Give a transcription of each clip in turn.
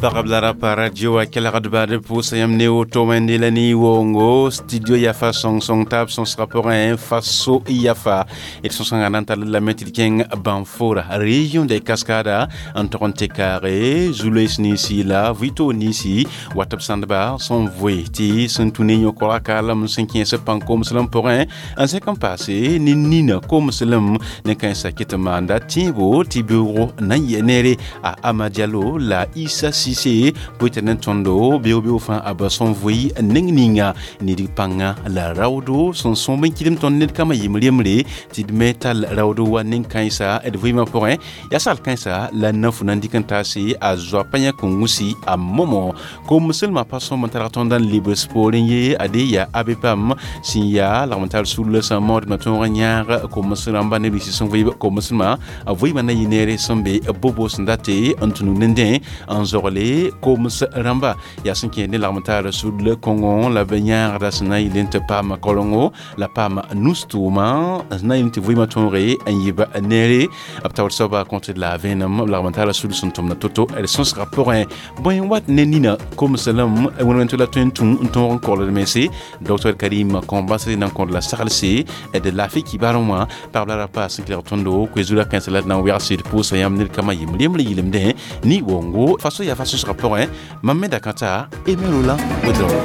Pagb la rapa radio a kelgdba d pʋʋsa yãmb ne woto wẽnde la ne wongo studio yafa sõng-sõng taab sõsgã pʋgẽ faso yafa d sõsgãngã na n tall lame tɩ d kẽng Banfora, région des Cascades, n tog n tɩ kaage zu-loees ninsi la vɩ-toog ninsi wat b sãndba sẽn voe tɩ sẽn tũ ne yõ-koagã kaalem sẽn kẽes b pãn-komslem pʋgẽ n sẽk n paase ne nina komslem ne kãensã ket n maanda tẽebo tɩ beoogo na n yɛ neere a Ama Diallo la Issa Cissé pʋɩ ne tõndo beoog-beoog fãa a ba sẽn voe neng ninga ned pãnga la raoodo sẽn sõm n kɩdem tõnd ned kambã yem rembre tɩ d me tall raoodo wa nen-kãensa d vɩɩmã pʋgẽ yaa sal kãensa la na-fu na n dɩk n taase a zoapa yã kõngusi a momo komslmã pa sõm n targ tõnd n lebs poorẽ ye ade yaa abe pam sẽn yaa lagm n tar sulla sã maoodmã tõog n yãag koms rãmba neb nins sẽn vɩɩb komslmã a vɩɩmã na yɩ neere sẽn be bobo sẽn date n tũnu nendẽ n zogle koms rãmba yaa sẽn kẽed ne lagm taar sudl kõngo la b yãagda sẽn na n yɩl tɩ paam korengo la paam nus-tʋʋmã sẽn na n yɩl tɩ vɩɩmã tõoge n yɩb neere b taoor soaba kõt d la vẽenem b lagm n taara sud sẽn tʋmda to-to d sõsgã pʋgẽ bõe n wat ne nina komslem wẽn tɩ la tõe n tũ n tõog n kogl d mense docteur Karim Kɔmbas na n kõd la saglse d laafɩ kibarẽ wã pagb la rapa sẽn kelg tõndo koe-zura kãensã la d na n wegse d pʋʋsa yãmb ned kambã yem rembre yɩlemdẽ ne wongo faso yaa fa sõsgã pʋgẽ mam me dakãta Aimé Roland Ouédraogo.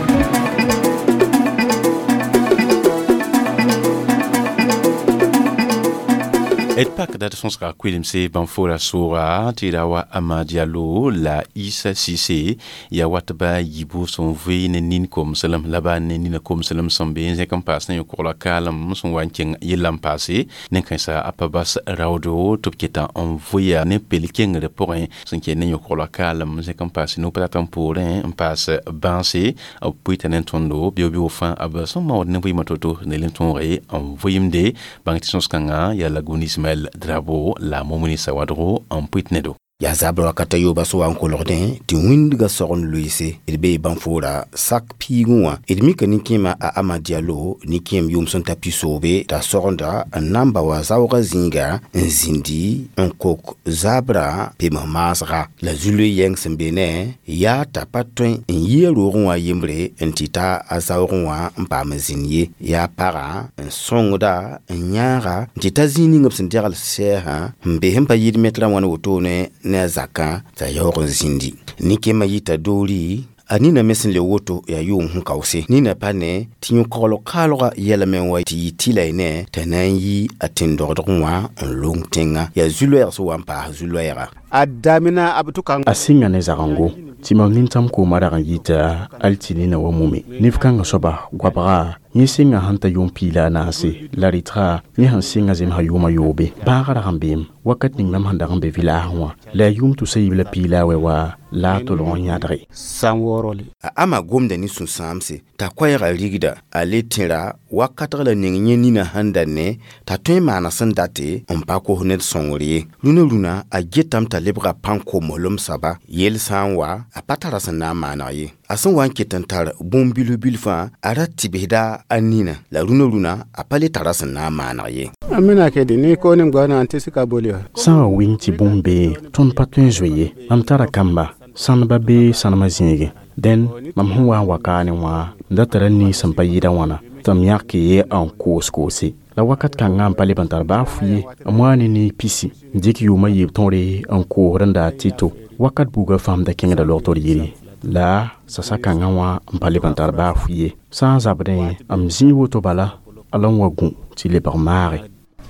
D pakda d sõsga koelemse Bãnfora sʋʋga tɩ ra wa Ama Diallo la Issa Cissé yaa wat ba yibu sẽn vɩ ne nin komslem la ba ne nina komslem sẽn be n zẽk n paas ne yõ-kogla kaalem sẽn wa n kẽng yella n paase nen-kãensã a pa bas raoodo tɩ b keta n vʋya ne pel kengre pʋgẽ sẽn kẽ ne yõ-kogla kaalem zẽk n paas no pa rat n poorẽ n paas bãase b pʋɩta ne tõndo beoog-beoog fãa b sẽn maood ne vɩɩmã to-to ne le tõoge n vɩɩmde bãng tɩ sõs-kãngã yaa Lagune Ismaël Drabo la Momini Sawadro n pʋɩt nedo. Yaa zabr wakata yooba sã wa n kolgdẽ tɩ wĩndgã sog n loeese d bee Bãnfoora sak piigẽ wã d mika nin-kẽemã a Ama Diallo nin-kẽem yʋʋm sẽn ta pisoobe t'a sogenda n na n ba wa zaoogã zĩiga n zĩndi n kok zabrã pems maasga la zu-loe yɛng sẽn be ne yaa t'a pa tõe n yi a roogẽ wã yembre n tɩ ta a zaoogẽ wã n paam n zĩnd ye yaa pagã n sõngda n yãaga n tɩ ta zĩig ning b sẽn degl sɛɛsã n be sẽn pa yɩɩd metrã wãn wotone ne a zakã t'a yaoog n zĩndi nin-kẽemã yita doori a nina me sẽn le woto yaa yʋʋm sẽn kaoose nina pa ne tɩ yõ-kogl kaalgã yɛlame wa tɩ yɩ tɩla y ne t'a na n yi a tẽn-dogdgẽ wã n long tẽngã yaa zu-loɛɛg sẽn wa n paas zu-loɛɛga. A damina a b tʋka. A sɩnga ne zagengo tɩ mam nintãm koomã rag n yita al tɩ nina wa mume neb kãngã soaba goabga yẽ sɩnga sẽn ta yʋʋm piila a naase la rɩtga yẽ sẽn sɩnga zemsã yʋʋmã yoobe bãagã rag n beem wakat ning mam sẽn dag n be vɩlaasẽ wã la a yʋʋm tʋsa yiib la piila a wɛ wa la a tolg n yãdge. San waoorole. A Ama gomda ne sũ-sãamse t'a koɛɛgã rigda a le tẽra wakatg la ning yẽ nina sẽn da ne t'a tõe n maana sẽn date n pa kos ned sõngr ye rũnã rũnã a getame t'a lebga pãn-komslem soaba yell sã n wa a pa tara sẽn na n maaneg ye a sẽn wa n ket n tar bũmb bilf bilfã a ra tɩbsda a nina la rũnã rũnã a pa le tara sẽn na n maaneg ye. Amina kedi ni ko ni gwana anti sika bolio. Sã n wa wɩng tɩ bũmb bee tõnd pa tõe n zoe ye mam tara kamba sãneba bee sãnemã zĩigẽ dẽn mam sẽn wa n wa kaane wã m da tara nii sẽn pa yɩɩda wãna tɩ m yãk ye n koos koose la wakat kãngã n pa leb n tar baa fu ye m waa ne nii pisi n dɩk yʋʋmã yiib tõre n koosd n daa tɩ-to wakat buugã fãam da kẽngda logtr yiri la sasa kãngã wã n pa leb n tar baa fu ye sã n zabdẽ m zĩig woto bala a la n wa gũ tɩ lebg maage.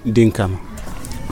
Dinkama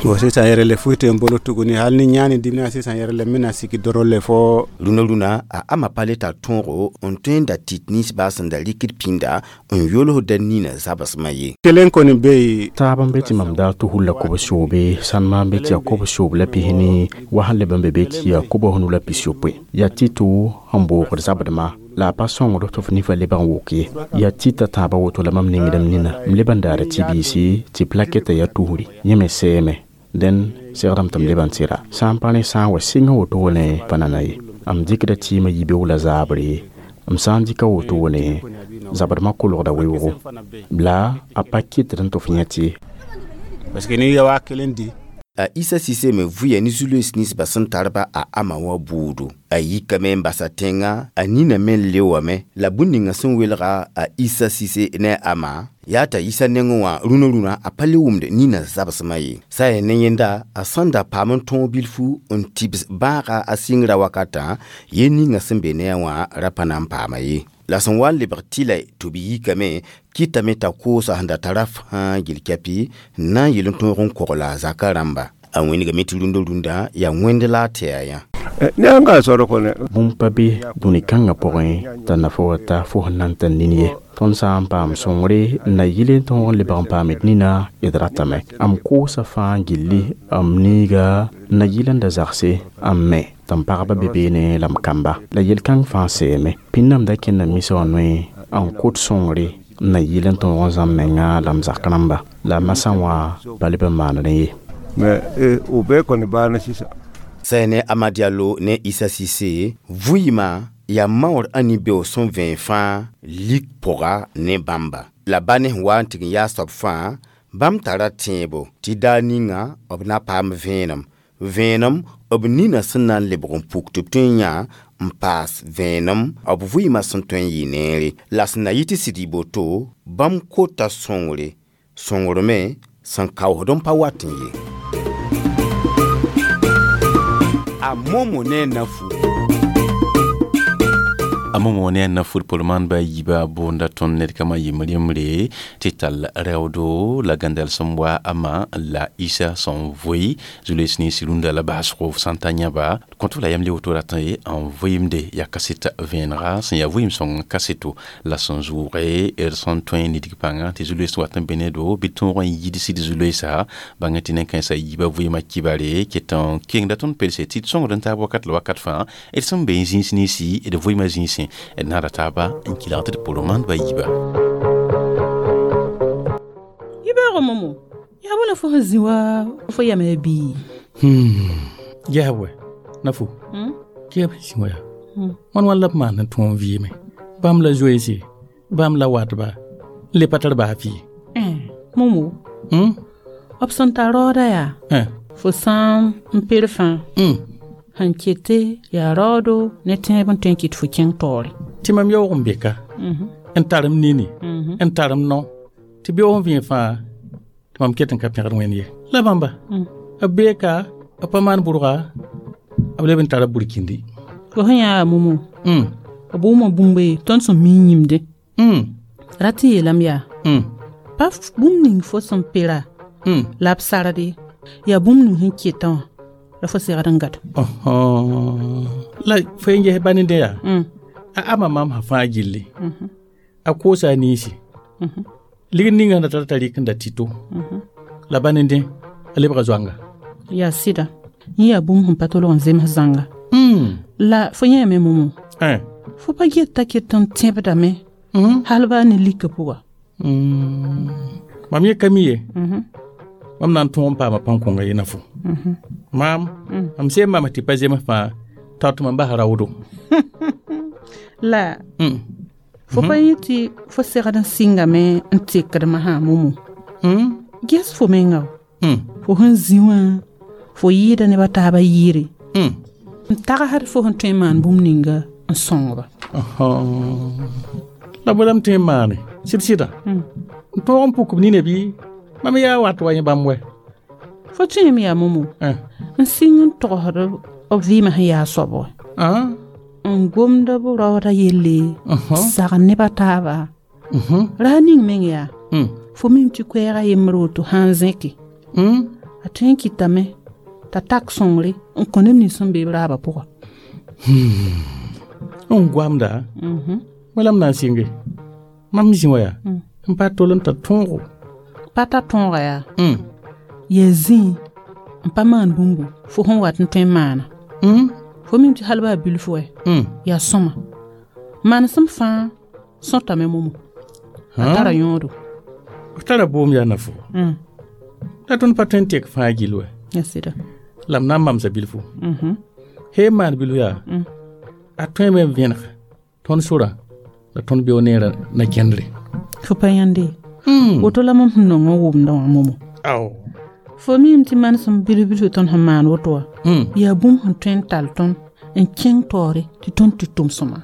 bo sisan yɛrɛ le foyi tɛ n bolo tuguni hali ni ɲaani dimina sisan yɛrɛ le n bɛna sigi dɔrɔn le fɔ. Rũnã rũnã a Ama pa le tar tõogo n tõe n da tɩt ninsbaa sẽn da rɩkd pĩnda n yolsda nina zabsmã ye. Kelen kɔni bɛ yen. Taab n be tɩ mam daa tɩ hulla kobs-yoobe sãnema n be tɩ yaa kobs-yoob la pisni wa sẽn leb n be be tɩ yaa kobs nu la pis-yopoe yaa tɩ-to sẽn boogd zabdmã la a pa sõngd tɩ f nifã lebg n wok ye yaa tɩta tãabã woto la mam nengdem nina m leb n daara tɩ-biisi tɩ plakɛta yaa tusri yẽ me sɛɛme dẽn segdame tɩ m leb n tɩra sã n pa rẽ sã n wa sɩng wotone pa nana ye m dɩkda tɩɩmã yibeoog la zaabre m sã n dɩka wotone zabdmã kolgda weoogo la a pa kɩtd n tɩ f yẽ tɩ. Parce que n'i ye 5000 di. A Issa Cissé me vʋya ne zu-loees ninsba sẽn tar-ba a ama wã buudu. A yikame n basa tẽngã, a nina me n leoame la bũmb ninga sẽn welga a Issa Cissé ne a ama yaa t'a yisa nengẽ wã rũnã rũnã a pa le wʋmd nina zabsmã ye. Sã n yaa ne yẽnda a sẽn da paam n tõog bilfu n tibs bãaga a sɩngrã wakatã, yel ninga sẽn be ne a wã ra pa na n paama ye. La sẽn wa n lebg tɩla tɩ b yikame kɩtame t'a koosa sẽn da tara fãa gil kɛpɩ n na n yel n tõog n kogla a zakã rãmba. A wẽnegame tɩ rũndã rũndã yaa wẽnd la a tɩ a yã. Bũmb pa be dũni kãngã pʋgẽ t'a nafa wa ta fo sẽn na n tar nin ye. Tõnd sã n paam sõngre n na yɩl n tõog n lebg n paam d nina d ratame. M koosa fãa gilli m niiga n na yɩl n da zagse n me tɩ m pagba be beene la m kamba. La yel-kãng fãa seeme. Pĩnnam da kẽnda misã wã noe n kot sõngre n na yɩl n tõog n zãmb menga la m zak rãmba. La masã wã pa leb n maan rẽ ye. Sã ne Ama Diallo ne Issa Cissé vʋɩɩmã yaa maoor ãni beoog sẽn vẽen fãa lik pʋga ne bãmba. La ba ne sẽn wa n tɩg n yaa soab fãa bãmb tara tẽebo tɩ daar ninga b na paam vẽenem. Vẽenem b nina sẽn na n lebg n puk tɩ b tõe n yã n paas vẽenem b vʋɩɩmã sẽn tõe n yɩ neere. La sẽn na yɩ tɩ sɩd yɩ boto bãmb kota sõngre, sõngr me sẽn kaoosd n pa wat n ye. A momo ne nafu. A momo ne nafu polman ba yiba boonda tõnd ned kama yembr yembre tɩ tall raoodo la gãndal sẽn wa ama la Issa sẽn vʋɩ zu-loees nins rũndã la baasgo sã n ta yãba kõt la yam le woto ratã ye n vʋɩɩmde yaa kaset vẽenega sẽn yaa vʋɩɩm sõng kaseto la sẽn zʋʋge d sẽn tõe n nidg pãnga tɩ zu-loees wat n be ne-do bɩ tõog n yidsd zu-loeesa bãng tɩ nen-kãensã yiibã vʋɩɩmã kibare ket n kengda tõnd pelse tɩ d sõngd n taab wakat la wakat fãa d sẽn be n zĩis ninsi d vʋɩɩmã zĩisẽ d naada taaba n kɩlg tɩ d pʋrg maandbã yiiba. Yibeoogo momo, yaa bõe la fo sẽn zĩ wa fo yama ya bii? Yaa wɛ nafu kɩ b zĩ wa yaa wãn wãn la b maan n tõog n vɩɩme bãmb la zoeese bãmb la watba n le pa tar baa fɩ. Momo, b sẽn tar raooda yaa fo sã n per fãa sẽn kete yaa raoodo ne tẽeb n tõe n kɩt fo kẽng taoore. Tɩ mam yaoog n be ka n tar m nini n tar m nao tɩ beoog n vẽe fãa tɩ mam ket n ka pẽgd wẽnd ye. La bãmba b bee ka b pa maan bʋrga b leb n tara burkindi. Fo sẽn yaa momo b wʋma bũmb tõnd sẽn mi yĩmde. Rat n yeelame yaa pa bũmb ning fo sẽn pera la b sarde yaa bũmb ning sẽn ketã wã la fo segd n gad. La fo n ges ba ned yaa a ama mam sã fãa gilli a koosa a ninsi ligd ninga sẽn da tar t'a rɩk n da tɩto la ba ned a lebga zoanga. Yaa sɩda yẽ yaa bũmb sẽn pa tolg n zems zãnga. La fo yẽeme momo fo pa get t'a ket n tẽbdame hal baa ne lika pʋga. Mam yẽ ka mi ye mam na n tõog n paama pãn-kõnga ye na fo. Maam mam seem maam tɩ pa zems fãa tao tɩ mam bas raoodo. La fo pa yẽ tɩ fo segd n sɩngame n tekdmã sã momo. Ges fo menga fo sẽn zĩ wã fo yɩɩda nebã taabã yɩɩre n tagsd fo sẽn tõe n maan bũmb ninga n sõngba. La bõe la m tõe n maane sɩd sɩda n tõog n puk b nina bɩ mam yaa wat wa yẽ bãmb wɛ. Fo tõeme yaa momo n sɩng n togsd b vɩɩmã sẽn yaa soab wɛ n gomd b raooda yelle sagn nebã taaba ra ning meng yaa fo mim tɩ koɛɛga yembr woto sã n zẽke a tõe n kɩtame t'a tak sõngre n kõ neb nins sẽn be b raabã pʋga. N goamda bõe la m na n sɩnge mam zĩ wa yaa n pa tol n tar tõogo. Pa ta tõoga yaa yaa zĩ n pa maan bũmbu fo sẽn wat n tõe n maana. Fo mim tɩ hal baa bilf wɛ yaa sõma manesem fãa sõtame momo a tara yõodo. B tara boom yaa nafo la tõnd pa tõe n tek fãa gill wɛ. Ya sɩda. La m na n mamsa bilfu. He maan bilf yaa a tõeme n vẽneg tõnd sorã la tõnd beoog neerã na kẽndre. Fo pa yãnde woto la mam sẽn nong n wʋmdã wã momo. Ao. Fo miime tɩ manesem bilf-bilf tõnd sẽn maan woto wã yaa bũmb sẽn tõe n tall tõnd n kẽng taoore tɩ tõnd tɩ tʋm sõma.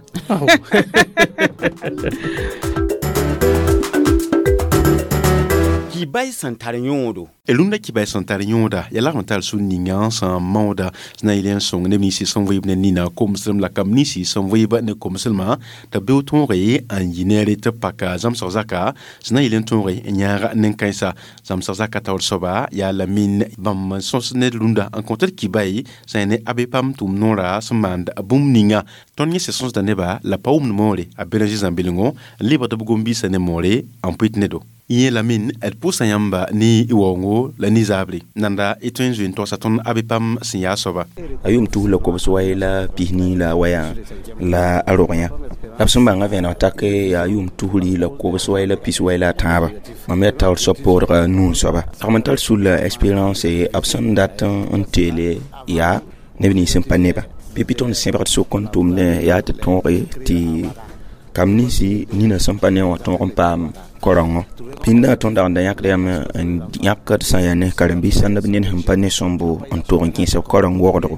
Kibay sẽn tar yõodo. Rũndã kibay sẽn tar yõoda yaa lagm tar sũ ninga sẽn maooda sẽn na n yɩl n sõng neb ninsi sẽn vɩɩb ne nina komslem la kamb ninsi sẽn vɩɩb ne komslmã tɩ b beoog tõoge n yɩ neere tɩ b paka zãmsg zaka sẽn na n yɩl n tõoge n yãag nen-kãensã zãmsg zaka taoor soaba yaa Lamine bãmb n sõs ne rũndã n kõt d kibay sẽn yaa ne abe pam tʋʋm noora sẽn maand bũmb ninga tõnd yẽ sẽn sõsda nebã la pa wʋmd moore a Bélanger zãm-bilengo n lebgd b gom-biisã ne moore n pʋɩt nedo. Yẽ Lamine d pʋʋsa yãmba ne waoongo la ne zaabre nanda y tõe n zoe n togsa tõnd abe pam sẽn yaa soaba. A yʋʋm tus la kobs wai la pisnii la waya la a rog yã la b sẽn bãnga vẽeneg tak yaa yʋʋm tusri la kobs wai la pis wai la a tãabã mam yaa taoor soab poodga nuu soaba lagm n tar sul la expérience b sẽn dat n teele yaa neb nins sẽn pa neba pipi tõnd sẽbgd sʋk n tʋmdẽ yaa tɩ tõoge tɩ kam ninsi nina sẽn pa ne wã tõog n paam korengo pĩndã tõnd dag n da yãkd yam n yãkd sã n yaa ne karen-biis sãnd b ned sẽn pa ne sõmbo n tog n kẽes b koreng wogdgo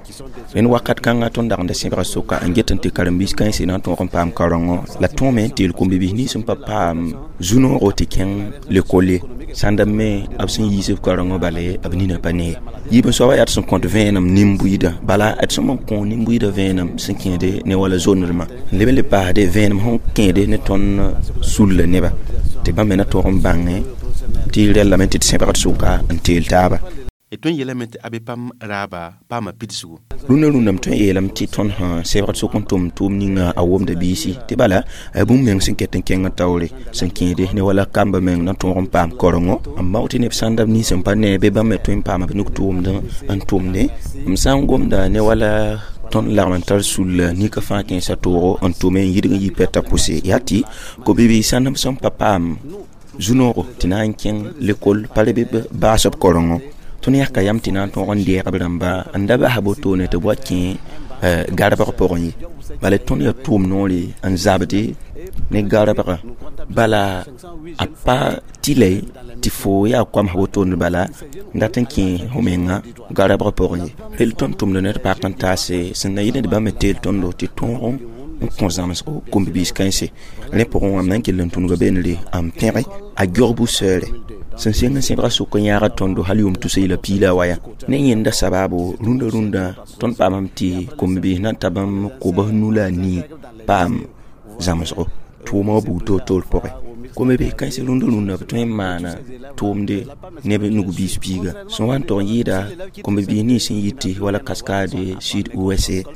rẽnd wakat kãngã tõnd dag n da sẽbga sʋka n get n tɩ karen-biis kãense na n tõog n paam karengo la tõome n teel kom-bibiis nins sẽn pa paam zu-noogo tɩ kẽng lekol ye sãnd b me b sẽn yiis b karengo bala b nina pa ne yiib n soaba yaa tɩ sẽn kõt vẽenem nin-buiidã bala d sẽn n kõ nin-buiidã vẽenem sẽn kẽede ne wala zondremã n leb n le paasde vẽenem sẽn kẽede ne tõnd sulla neba tɩ bãmb me na tõog n bãngẽ tɩ rɛllame tɩ d sẽbgd sʋka n teel taaba. D tõe n yeelame tɩ abe pam raaba paama pidsgu. Rũndã rũndã m tõe n yeelame tɩ tõnd sã sẽbgd sʋk n tʋm tʋʋm ninga a womda biisi tɩ bala a bũmb meng sẽn ket n kẽng taoore sẽn kẽede ne wala kamba meng na tõog n paam korengo n bao tɩ neb sãnda b nins sẽn pa ne bɩ bãmb me tõe n paama b nuk tʋʋmd n tʋmde m sã n gomda ne wala tõnd lagm n tar sulla nika fãa kẽesã toogo n tʋme n yidg n yi pɛta pʋse yaa tɩ ko-bibiis sãnd b sẽn pa paam zu-noogo tɩ na n kẽng lekol pa reb b baas b korengo tõnd yãka yam tɩ na n tõog n deeg b rãmba n da bas wotone tɩ b wa kẽ garbg pʋgẽ ye bala tõnd yaa tʋʋm noore n zabde ne garbga bala a pa tɩ tɩ fo yaa koamsg wotone bala n dat n kẽ fo menga garbg pʋgẽ ye rel tõnd tʋmda ne d pak n taase sẽn na yɩl d bãmb me teel tõndo tɩ tõog n kõ zãmsgo kom-bibiis kãense rẽ pʋgẽ wã m na n kell n tũnuga beenre n pẽge a geog bu-sɛɛre sẽn seng n sẽbga sʋk n yãagd tõndo hal yʋʋm tusa yɩla piila wa ya ne yẽnda sabaabo rũndã rũndã tõnd paamame tɩ kom-bibiis na n ta bãmb kobs nu la a nii paam zãmsgo tʋʋma wã bug toor-toor pʋgẽ kom-bibiis kãens rũndã rũndã b tõe n maana tʋʋmde neb nug-biis piiga sẽn wa n tog n yɩɩda kom-bibiis nins sẽn yitɩ wala Cascade sud ouest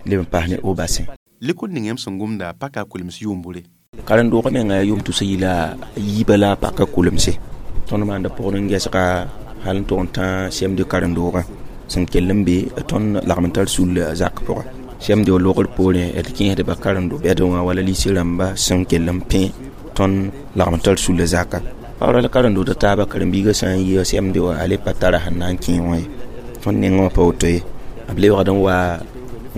leb n paas ne Haut-Bassin. Lekol ning yãmb sẽn gomda paka kulems yʋʋmbure. Karen-doogã menga yaa yʋʋm tusa yɩla yiibã la a paka kulemse tõnd maanda pʋgd n gɛsga hal n tog n tã CMD karen-doogã sẽn kell n be tõnd lagm n tar sull zak pʋgã CMD wa logr poorẽ d kẽesdba karen-do-bɛd wã wala lise rãmba sẽn kell n pẽ tõnd lagm n tar sull zaka paoora la karen-dood taaba karen-biigã sã n yɩ CMD wã a le pa tara sẽn na n kẽ wã ye tõnd nengã wã pa woto ye b lebgd n wa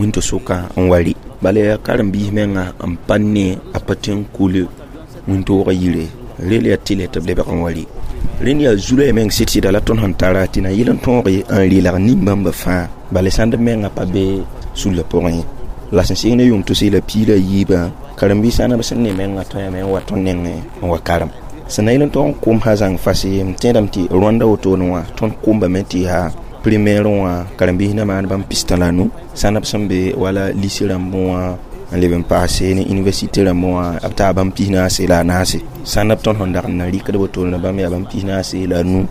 wĩnto-sʋkã n wa rɩ bala yaa karen-biis menga n pa ne a pa tõe n kul wĩntoogã yire rel yaa tɩlɛ tɩ b lebg n wa rɩ rẽnd yaa zu-rã meng sɩd-sɩda la tõnd sẽn tara tɩ na yɩl n tõoge n rɩlg nin-bãmba fãa bala sãnd b menga pa be sulla pʋgẽ ye la sẽn sɩng ne yʋʋm tʋs la piila yiibã karen-biis sãn b sẽn ne menga tõe yame n wa tõnd nengẽ n wa karem sẽn na yɩl n tog n kom sã zãng fase m tẽedame tɩ Rwanda wotone wã tõnd kombame tɩ yaa primaire wã karen-biis na maan bãmb pistã la nu sãn b sẽn be wala lycée rãmb wã n leb n paase ne université rãmb wã b taa bãmb pis-naase la a naase sãn b tõnd sẽn dag n na rɩkd wotone bãmb yaa bãmb pis-naase la a nu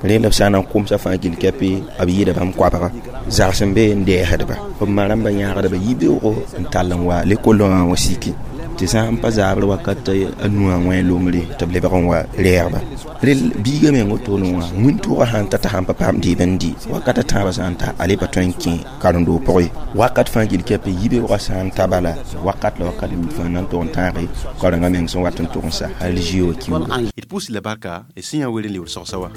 rẽ la b sã n na n komsa fãa gill kɛpe b yɩɩda bãmb koabga zags n be n dɛɛsdba b ma rãmba yãagdba yibeoogo n tall n wa lekol wã wa siki tɩ sã n pa zaabr wakat a nuã wẽ lombre tɩ b lebg n wa rɛɛgba rel biigã meng wotone wã wĩntoogã sãn ta t'a sãn pa paam dɩɩb n dɩ wakat a tãabã sã n ta a le pa tõe n kẽ karen-doog pʋgẽ wakat fãa gill kɛpe yibeoogã sã n ta bala wakat la wakat fãa na n tog n tãage karengã meng sẽn wat n tog n sa hal zio wa kiuuga. D pʋʋs la barka d sẽn yã wer n lebd sõgsa wa.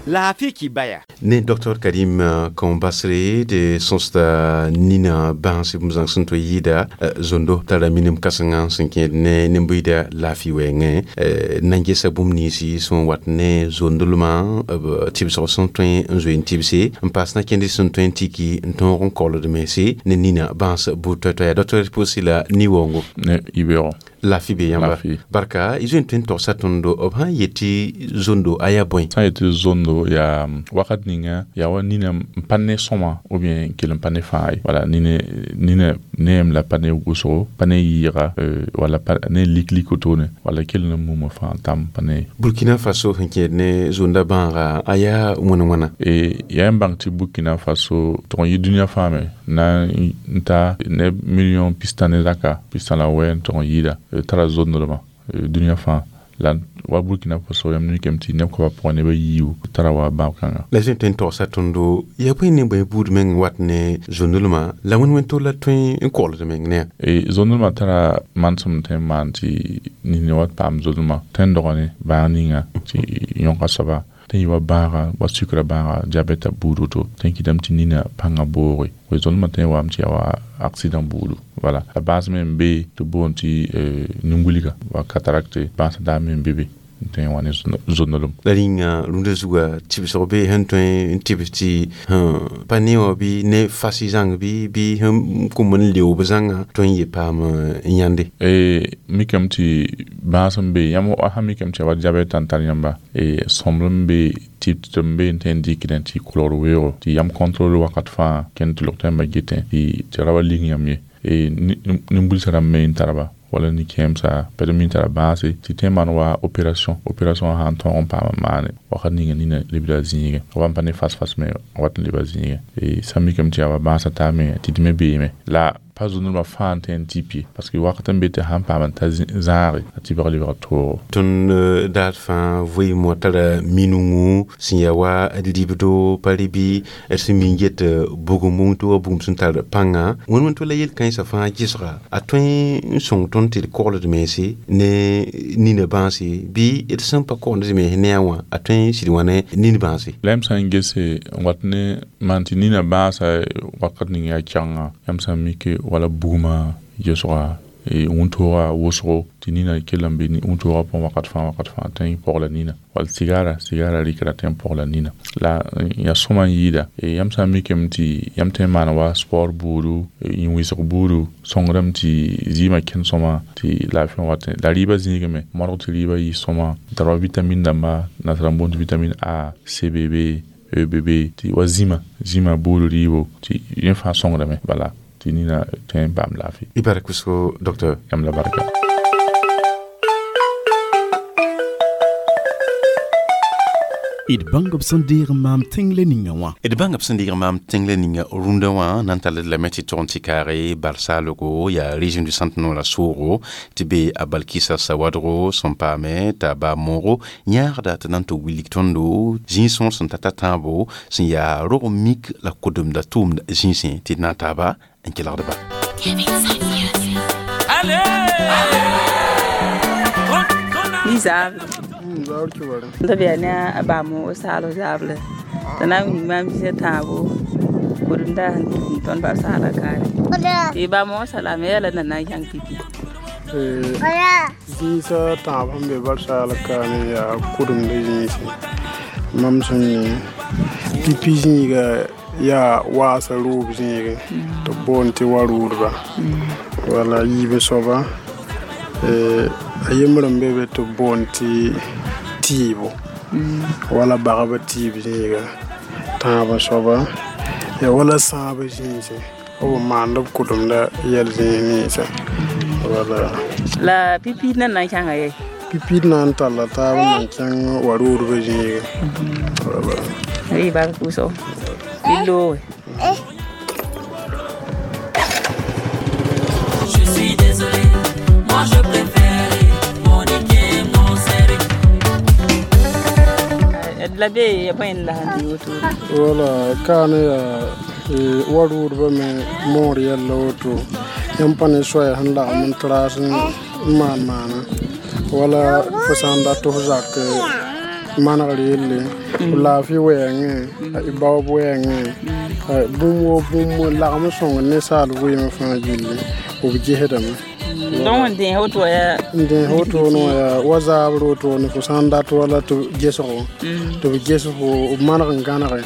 Laafɩ kibaya. Ne Dr Karim Kombasre de sõsda nina bãans bũmb zãng sẽn tõe yɩɩda zondo tara minim kãsengã sẽn kẽed ne nin-buiida laafɩ wɛɛngẽ na n gesa bũmb ninsi sẽn wat ne zondlmã b tɩbsg sẽn tõe n zoe n tɩbse n paas na kẽnd sẽn tõe n tiki n tõog n kolд mense ne nina bãans buud toɛ-toɛya. Dr pʋʋsi la ni-waoongo. Ne yibeoogo. Laafɩ be yãmba. Barka y zoe n tõe n togsa tõndo b sã n yet tɩ zondo a yaa bõe? Sã n yet tɩ zondo yaa wakat ninga yaa wa nina n pa ne sõma ou bien n kell n pa ne fãa ye. Wala nina ne yem la pa ne wʋsgo, pa ne yɩɩga, wala ne lik-lik wotone, wala kell n muma fãa tam pa ne. Burkina Faso sẽn kẽed ne zonda bãaga a yaa wãna wãna? Yaa n bãng tɩ Burkina Faso tʋg n yɩ dũniyã fãa me na n ta neb million pistã ne zaka pistã la wɛ n tʋg n yɩɩda tara zondlmã dũniyã fãa. La wa Burkina Faso yãmb mikame tɩ neb koabã pʋgã nebã yiibu tara wa bãab kãnga. La zoe n tõe n togsa tõndo yaa bõe ne bõe buud meng wat ne zondlmã la wẽn-wẽn tol la tõe n kogld meng ne? Zondlmã tara manesem tõe n maan tɩ nini wa paam zondlmã tõe n dogã ne bãag ninga tɩ yõka soaba tɩ yɩ wa bãaga wa sukra bãaga diabɛta buud woto tõe n kɩtame tɩ nina pãngã booge we zondlmã tõe n waame tɩ yaa wa accident buudu. Voilà, la bãas me n be tɩ boond tɩ nin-wilga wa cataracte bãasã daa me n be be n tõe n wa ne zondlem. La rĩnga rũndã zuga tɩbsg be sẽn tõe n tɩbs tɩ pa ne wã bɩ ne fas zãng bɩ sẽn kom n leoog zãnga tõe n ye paam n yãnde. Mikame tɩ bãas n be yãmb sã mikame tɩ yaa wa diabɛta n tar yãmba sõmblem be tɩ n be n tõe n dɩkdẽ tɩ kolgd weoogo tɩ yam contrôle wakat fãa kẽnd tɩ log tɩ yãmba getẽ tɩ ra wa ling yãmb ye nin-bulsã rãmb me n tarba wala ni-kẽemsa pɛd mi n tara bãase tɩ tõe n maan wa opération sã n tõog n paam n maane wakat ninga nina lebda zĩigẽ wa n pa ne fas-fas me wat n leba zĩigẽ sã n mikame tɩ yaa wa bãasã taa me tɩ d me beeme la pa zondlmã fãa n tõe n tɩp ye parce que wakat n be tɩ sãn paam n ta zãage a tɩbg lebg toogo. Tõnd dat fãa vɩɩmã tara minungu sẽn yaa wa d ribdo pa rɩ bɩ d sẽn mi n get bugum wʋngto wa bugum sẽn tar pãnga wẽn-wẽn to la yel-kãensã fãa gesga a tõe n sõng tõnd tɩ d kogld mense ne nina bãase bɩ d sẽn pa kogend d mense ne a wã a tõe n sɩd wã ne nin bãase. La yãmb sã n gese n wat ne maan tɩ nina bãasa wakat ning yaa kɛgenga yãmb sã n mike wala bugmã gesga wũntooga wʋsgo tɩ nina kell n be wũntooga pʋgẽ wakat fãa tõe n pɔgla nina wall sigara rɩkra tõe n pɔgla nina la yaa sõma n yɩɩda yãmb sã n mikame tɩ yãmb tõe n maan wa sport buudu yĩn-wɩsg buudu sõngdame tɩ zɩɩmã kẽnd sõma tɩ laafɩ wat la rɩɩbã zĩigame modg tɩ rɩɩbã yɩ sõma n tar wa vitamine dãmba nasara n boond tɩ vitamine A C B B E B B tɩ wa zĩma buudu rɩɩbo tɩ yẽ fãa sõngdame bala tɩ nina tõe n paam laafɩ. Y bark wʋsgo docteur. Yãmb la barka. D bãng b sẽn deeg n maam tẽng-le ninga wã. D bãng b sẽn deeg n maam tẽng-le ninga rũndã wã na n tall d lame tɩ tʋg n tɩ kaage barsaalgo yaa régime du centre noorã soogo tɩ be a Balkisa Sawadgo sẽn paame t'a baa moogo yãagda tɩ na n tɩ wilg tõndo zĩig sõor sẽn ta ta tãabo sẽn yaa rog mik la kodemda tʋʋmd zĩisẽ tɩ d na n taaba n kelgdba. Ni zaab tɩ bɩa ne a baa moog saal zaable tɩ na n wilg maam bisa tãabo kodemda sẽn tũud tõnd barsaala kaare tɩ baa moog salame yaa la na na n kãng pipi. Zĩisã tãab sẽn be barsaala kaane yaa kʋdemda zĩisi mam sẽn yẽ pipi zĩiga yaa waasã roob zĩigẽ tɩ b boond tɩ wa roodba wala yiib soaba a yembr n be be tɩ b boond tɩ tɩɩbo wala bagba tɩɩb zĩiga tãabã soaba ya wala sãabã zĩisẽ b maand b kʋdemda yɛl zĩig ninsã wala. La pipiid na n kãnga ye? Pipiid na n talla taab n na n kẽng wa roodbã zĩigẽ wala. Rɩ bark wʋsgo bɩ looge. Je suis désolé, moi je préfère Monique mon serré. La be ya bõe n la sẽn tɩ woto? Wala kaane yaa wa roodbã me moor yɛlla woto yãmb pa ne soaya sẽn lagem n traas n maan maana wala fo sã n dat f zak Manegr yelle b laafɩ wɛɛngẽ baoob wɛɛngẽ bũmb woo bũmb lagm sõng ninsaal vɩɩmã fãa gilli b gesdame. Donc n dẽes woto yaa n dẽes wotone wã yaa wa zaabr wotone fo sã n dat wala tɩ gesgo tɩ b ges fo b maneg n gãnege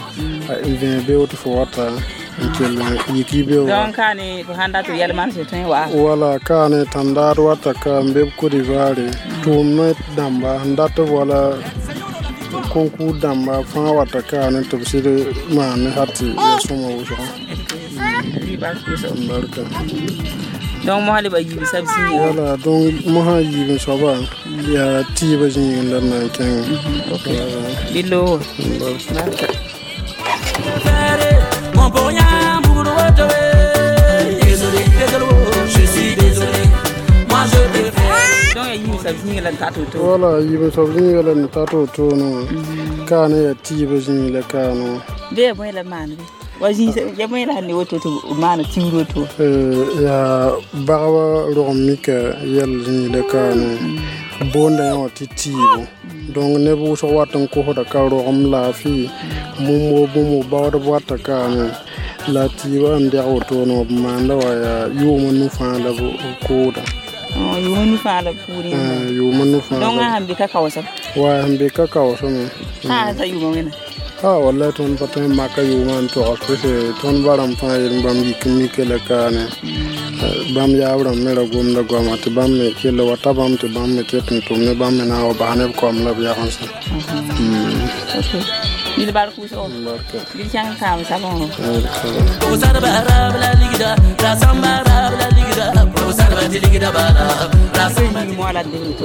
n vẽe beo tɩ fo wata n kell yik y beo. Donc kaane fo sãn dat tɩ yɛl manesg tõe n wa wala kaane tãndaad wata ka n be b Côte d'Ivoire tʋʋmdã dãmba sẽn dat b wala concours dãmba fãa wata kaane tɩ b sɩd maan ne hal tɩ ya sõma wʋsgo. Barka. Donc mosã leba yiib sab zĩiga. Wala donc mosã yiib n soaba yaa tɩɩbã zĩig n la d na n kẽngẽ. Bɩ loog. Mon pour rien, pour Désolé, désolé, je suis désolé. Moi je préfère. Donc yiib sab zĩiga la n tat woto. Wala yiib n soab zĩiga la n tat wotone wã kaane yaa tɩɩbã zĩig la kaane wã. Bɩ yaa bõe la maan bɩ wa zĩig ya bõe la sẽn ne woto tɩ b maana tiwr woto. Yaa bagba rog n mika yɛl zĩig la kaane boonda yã wã tɩ tɩɩbo donc neb wʋsg wat n kosda ka rogem laafɩ bũmb woo bũmb baoodb wata kaane la tɩɩbã n dɛg wotone wã b maanda wa yaa yʋʋmã nu fãa la b kooda. Yʋʋmã nu fãa la b kʋʋd. Yʋʋmã nu fãa. Donc a sẽn be ka kaoosem. Wa sẽn be ka kaooseme. Sã n ta yʋʋmã wẽna. Ah wallahi tõnd pa tõe n maka yʋʋmã n togs pʋse tõnd ba rãmb fãa yel bãmb yik n mike la kaane bãmb yaab rãmb me ra gomda goama tɩ bãmb me kell wa ta bãmb tɩ bãmb me ket n tʋm ne bãmb me na n wa bas ne b koam la b yagensã. Bil bark wʋsgo. Bil kẽng taam sabengã.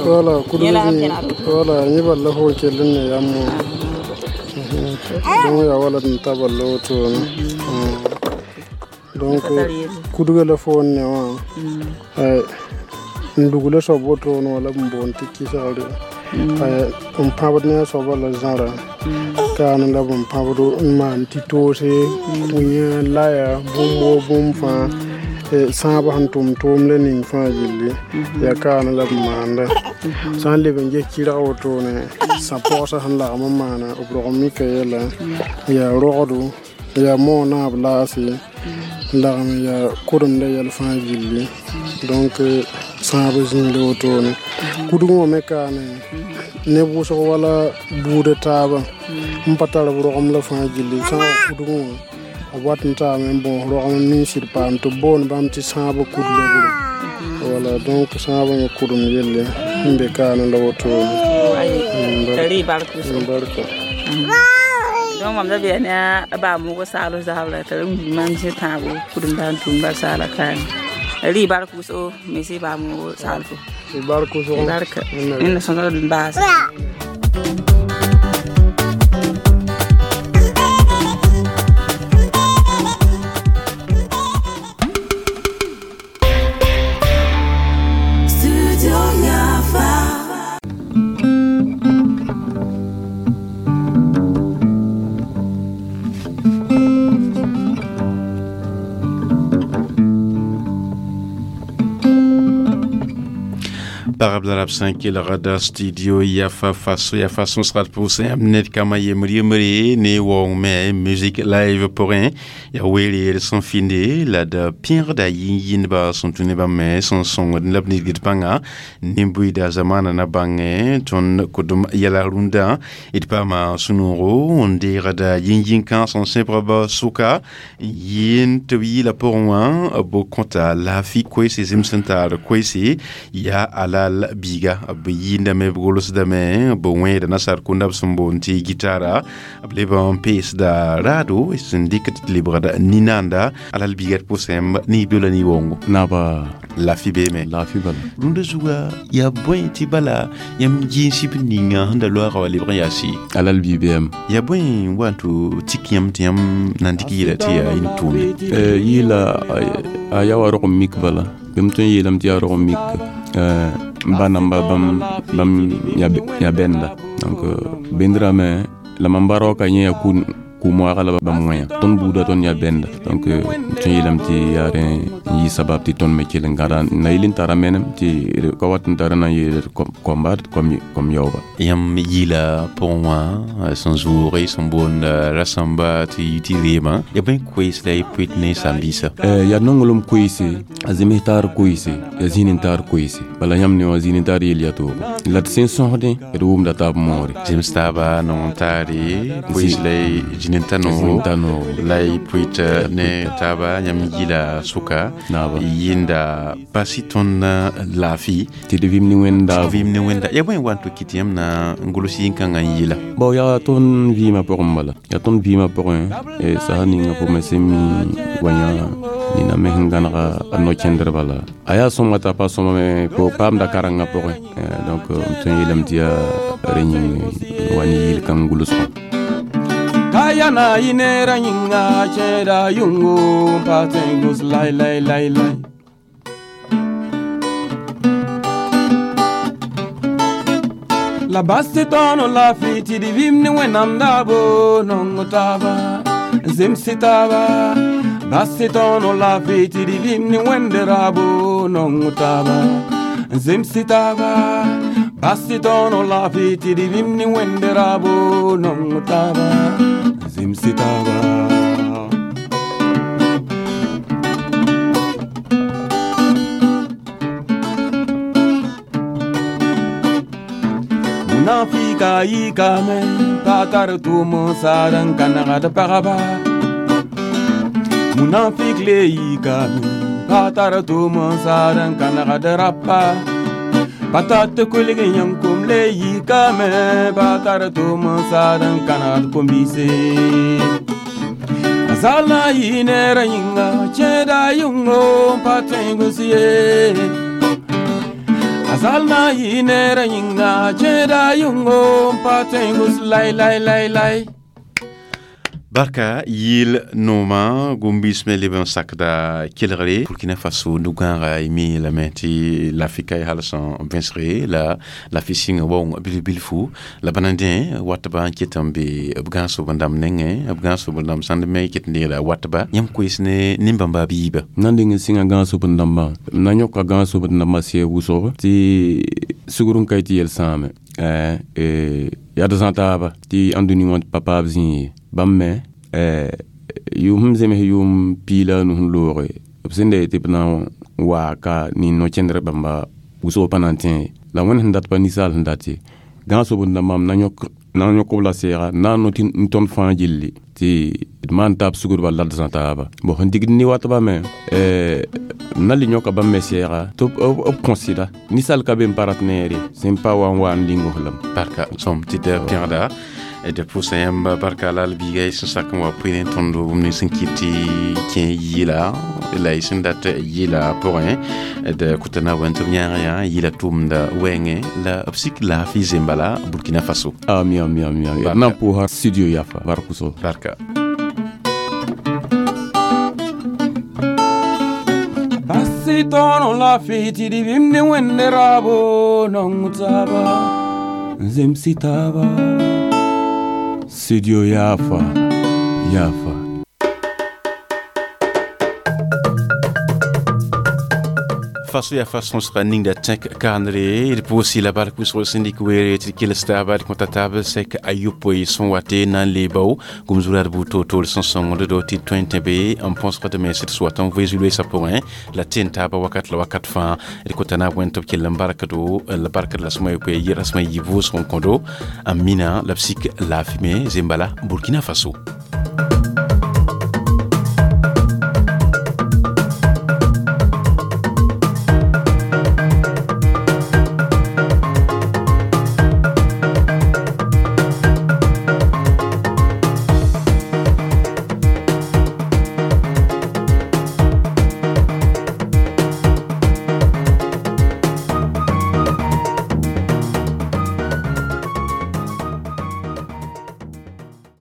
Wala kudg wala yẽ bal la fo n kell n ne yam wã donc yaa wala d n ta bal la wotone donc kudga la fo n ne wã n dugla soab wotone wã la b n boond tɩ kisgre n pãbd ne a soabã la zãra kaane la b n pãbd n maan tɩ toose kũyã laya bũmb woo bũmb fãa sãabã sẽn tʋm tʋʋmdã ning fãa gilli yaa kaane la b maanda sã n leb n ges kɩrg wotone sã-pɔgsã sẽn lagm n maana b rog n mika yɛla yaa rogdo yaa moog naab laase n lagm yaa kʋremda yɛl fãa gilli donc sãab zĩig la wotone kudg wã me kaane neb wʋsg wala buudã taaba n pa tar b rogem la fãa gilli sã n wa kudg wã b wat n taame n bõos rogem n ning sɩd paam tɩ b boond bãmb tɩ sãabã kudlogre wala donc sãabã me kʋdem yelle n be kaane la wotone. Barka. Donc mam da be ne a ba mo go salo zabla tɩ r mam sẽ tãabo kudem da n tʋm ba saala kaane rɩ bark wʋsgo me sɩ ba mo saalfo. Bark wʋsgo. Barka. Wẽnna sõsg d baas. Studio Yafa. Pagb la rab sã n kelgda studio Yafa faso yafa sõsgd pʋʋsẽ yãmb ned kambã yembr yembre ne waoong me musique live pʋgẽ yaa weere d sẽn fɩnde la d pẽegda yĩn-yĩndba sẽn tũ ne bãmb me sẽn sõngd la b nidgd pãnga nin-buiida zamaana na bãngẽ tõnd kʋdem yɛla rũndã d paama sũ-noogo n deegda yĩn-yĩn-kãng sẽn sẽbg b sʋka n yɩɩn tɩ b yɩɩla pʋgẽ wã b kõta laafɩ koeese zĩm sẽn taar koeese yaa alal biiga b yɩɩndame b golsdame b wẽeda nasaar kũnda b sẽn boond tɩ gitara b leb n peesda raado sẽn dɩk tɩ lebgd ninaanda alal biiga d pʋsẽm niibdo la ni-waoongo. Naba laafɩ beeme. Laafɩ bala. Rũndã zuga yaa bõe tɩ bala yãmb yĩns b ninga sẽn da loaga wa lebg n yaa sɩ alal bii beem. Yaa bõe n wa n tɩ tik yãmb tɩ yãmb na n dɩk yɩɩla tɩ yaa yĩn tʋʋmde. Yɩɩla a yaa wa rog n mik bala bɩ m tõe n yeelame tɩ yaa rog n mik n ba namba bãmb yaa bɛnda donc bendrã me la mam ba raoka yẽ yaa Kʋ-moaagã la bãmb wẽya tõnd buudã tõnd yaa bɛnda. Donc tõe n yeelame tɩ yaa rẽ n yɩ sabab tɩ tõnd me kell n gãda n na yɩl n tara menem tɩ d ka wat n tara na n yeel koamba kom yaooba. Yãmb yɩla pʋgẽ wã sẽn zʋʋge sẽn boond rasãmba tɩ yɩ tɩ reemã ya bõe koees la y pʋɩt ne saam-biisã? Yaa nonglem koeese, a zems taar koeese, yaa zĩig n taar koeese. Bala yãmb ne wã zĩig n taar yel yaa toogo la d sẽn sõsdẽ d wʋmda taab moore. Zems taaba nong n taare koees la y zĩig n ta noogo la y pʋɩt ne taaba. Yãmb yɩla sʋka yɩnda basi tõnd laafɩ tɩ d vɩm ne wẽnda. Vɩm ne wẽnda ya bõe wa n tɩ kɩt yãmb na n gʋls yĩn-kãngã n yɩla? Bao yaa tõnd vɩɩmã pʋgẽ bala, yaa tõnd vɩɩmã pʋgẽ sasa ninga pʋgẽ sẽn mi wa yã nina me sẽn gãnega a no-kẽndr bala a yaa sõma t'a pa sõma me paamda karengã pʋgẽ. Donc m tõe n yeelame tɩ yaa rẽ yĩng wa ne yɩl-kãng gʋlsgã. Kayana inera yinga cheda yungu patengus lai lai lai lai. La basti tono la fiti di vimni wenam dabo nongo taba zimsi taba. Basti tono la fiti di vimni wenderabo nongo taba zimsi taba. Basti tono la fiti di vimni wenderabo nongo taba zimsi taba. Munafika yikame pa tar tʋʋm n saad n ka nagd pagba. Munafik le yikame pa tar tʋʋm n saad n ka nagd rapa. Pa tat kulg yãnkom le yikame pa tar tʋʋm n saad n ka nagd kom-biise. A zal na n yɩ neerã yĩnga kẽeda yʋngo n pa tõe n gʋs ye. Azal na yɩ neerã yĩnga kẽeda yʋngo n pa tõe n gʋs lai lai lai lai. Barka yɩl noomã gũm-biis me leb n sakda kelgre Burkina Faso nu-gãaga y mi lame tɩ lafɩka y hal sẽn vẽsge la lafi sɩngã waoong bilf-bilfu la bãna dẽ watba n ket n be b gãag-sob n dãmb nengẽ b gãag-sob n dãmb sãnd me ket n deegda watba. Yãmb koees ne nin-bãmba a biiba? Na n deng n sɩngã gãag-sob n dãmbã m na n yõka gãag-sob n dãmbã sɛɛg wʋsg tɩ sugr n ka y tɩ yɛl sãame yaa d zã taaba tɩ ãndũni wã pa paab zĩig ye. Bãmb me yʋʋm sẽn zems yʋʋm piig la a nu sẽn looge b sẽn da yetɩ b na n waa ka nin no-kẽndr bãmba wʋsg pa na n tẽ la wẽnd sẽn dat pa ninsaal sẽn dat ye. Gãag-sob n dãmbã m na n yõk b la sɛɛga n na n no tɩ tõnd fãa gilli tɩ d maan taab sugdba la d zã taaba. Bon sẽn digd ne watba me m na le yõka bãmb me sɛɛga tɩ b kõ sɩda ninsaal ka be n pa rat neere sẽn pa wa n wa n ling f lame. Barka sõm tɩ d pẽgda d pʋʋsa yãmb barka la l biiga y sẽn sak n wa pʋɩ tõnd bũmb nins sẽn kɩt tɩ kẽ yɩla la y sẽn dat yɩla pʋgẽ d kʋta na wẽn tɩ b yãag yã yɩla tʋʋmda wɛɛngẽ la b sik laafɩ zemba la Burkina Faso. Ami ami ami ami d na n pʋʋsa studio yafa bark wʋsgo. Barka. Basi tono la fiti di vimni wẽnde raabo nong taaba n zemsi taaba. Studio Yafa, Yafa. Faso yaa fa sõsga ningda tẽk kaanre d pʋʋs la bark wʋsg sẽn dɩk weere tɩ d kels taaba d kõta taab sɛk ayopoe sẽn wate na n leebao gom-zurad buud toor-toor sẽn sõngd do tɩ d tõe n tẽ be n põsgd me sẽd sʋ wat n voe zu-loeesã pʋgẽ la ten taaba wakat la wakat fãa d kota naab wẽnd tɩ b kell n barkdo la barkd la sõma yopoe rasmã yɩ vʋʋsg n kõdo n mina la b sik laafɩ me zembala Burkina Faso.